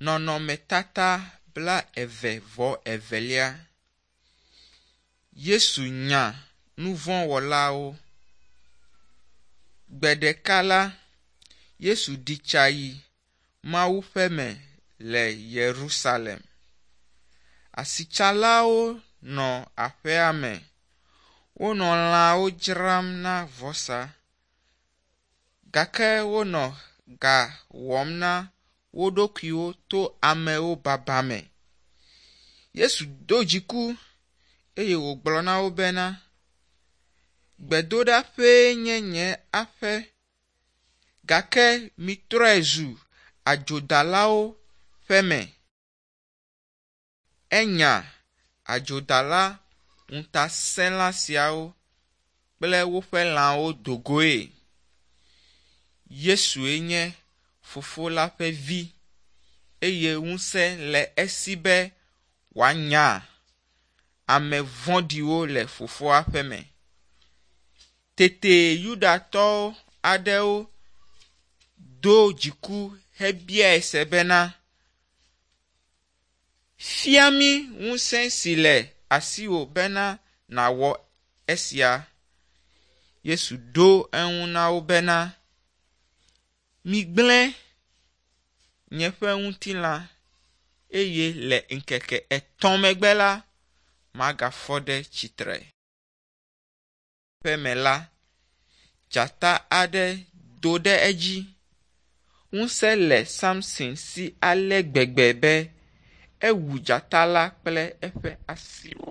Nɔnɔmetata bla eve vɔ evelia. Yesu nya nuvɔ̃wɔlawo. Gbe ɖeka la, Yesu ɖi tsa yi Mawu ƒe me le Yerusalem. Asitsalawo nɔ aƒea me. Wonɔ lãwo dzram na vɔsa, gake wonɔ ga wɔm na wo ɖokuiwo to amewo baba me. Yesu do dziku eye wògblɔ na wo bena, gbedoɖaƒee nye nye aƒe, gake mitrɔe zu adzodalawo ƒe me. Enya adzodala ŋutasẽla siawo kple woƒe lãwo dogoe. Yesue nye Fofo la ƒe vi eye ŋusẽ le esi be wòanya ame vɔ̃ɖiwo le Fofoa ƒe me. Tete Yudatɔwo aɖewo do dziku hebiae se bena, fia mí ŋusẽ si le asiwò bena nàwɔ esia. Yesu ɖo eŋu na wo bena, migblẽ nye ƒe ŋutilã eye le ŋkeke 3 megbe la, magafɔ ɖe tsitre. Ƒe me la, dzata aɖe do ɖe edzi. Ŋusẽ le Samson si ale gbegbe be ewu dzata la kple eƒe asiwo.